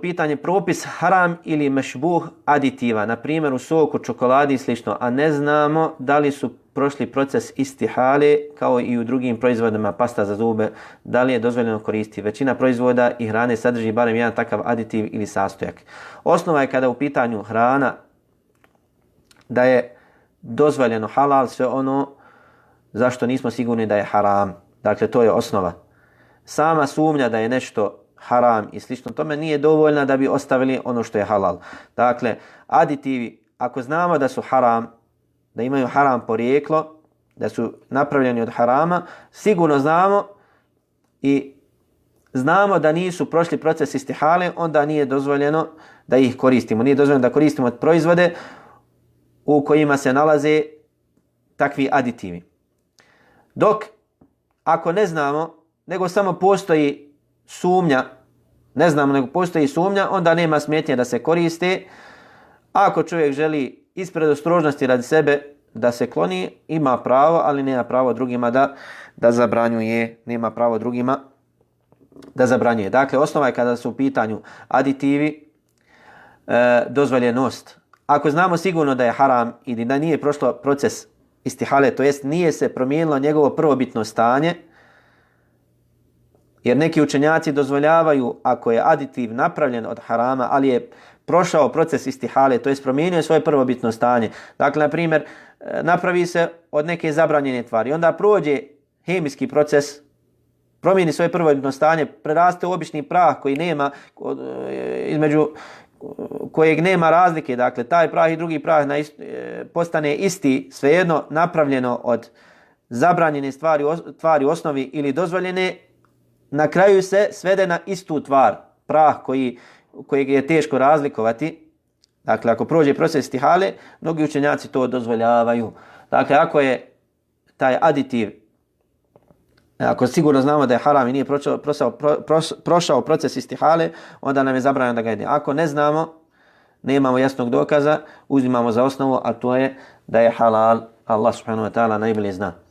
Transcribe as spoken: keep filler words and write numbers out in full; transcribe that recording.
pitanje propis haram ili mešbuh aditiva, na primjer u soku, čokoladi i slično, a ne znamo da li su prošli proces istihale kao i u drugim proizvodima, pasta za zube, da li je dozvoljeno koristiti. Većina proizvoda i hrane sadrži barem jedan takav aditiv ili sastojak. Osnova je kada u pitanju hrana da je dozvoljeno halal sve ono zašto nismo sigurni da je haram. Dakle, to je osnova. Sama sumnja da je nešto haram i slično tome nije dovoljna da bi ostavili ono što je halal. Dakle, aditivi, ako znamo da su haram, da imaju haram porijeklo, da su napravljeni od harama, sigurno znamo i znamo da nisu prošli proces istihale, onda nije dozvoljeno da ih koristimo. Nije dozvoljeno da koristimo proizvode u kojima se nalaze takvi aditivi. Dok, ako ne znamo, nego samo postoji sumnja, ne znamo, nego postoji sumnja, onda nema smetnje da se koriste. Ako čovjek želi ispred ostrožnosti radi sebe da se kloni, ima pravo, ali nema pravo drugima da, da zabranjuje. Nema pravo drugima da zabranjuje. Dakle, osnova je kada su u pitanju aditivi, e, dozvoljenost. Ako znamo sigurno da je haram ili da nije prošlo proces istihale, to jest nije se promijenilo njegovo prvobitno stanje, jer neki učenjaci dozvoljavaju ako je aditiv napravljen od harama, ali je prošao proces istihale, to jest promijenio svoje prvobitno stanje. Dakle, na primjer, napravi se od neke zabranjene tvari, onda prođe hemijski proces, promijeni svoje prvobitno stanje, preraste u obični prah koji nema, između kojeg nema razlike, dakle, taj prah i drugi prah na ist, postane isti, svejedno napravljeno od zabranjene stvari, tvari u osnovi ili dozvoljene, na kraju se svede na istu tvar, prah koji, kojeg je teško razlikovati. Dakle, ako prođe proces istihale, mnogi učenjaci to dozvoljavaju. Dakle, ako je taj aditiv, ako sigurno znamo da je haram i nije prošao, prošao, prošao proces istihale, onda nam je zabranjeno da ga jedemo. Ako ne znamo, nemamo jasnog dokaza, uzimamo za osnovu, a to je da je halal. Allah subhanahu wa ta'ala najbolje zna.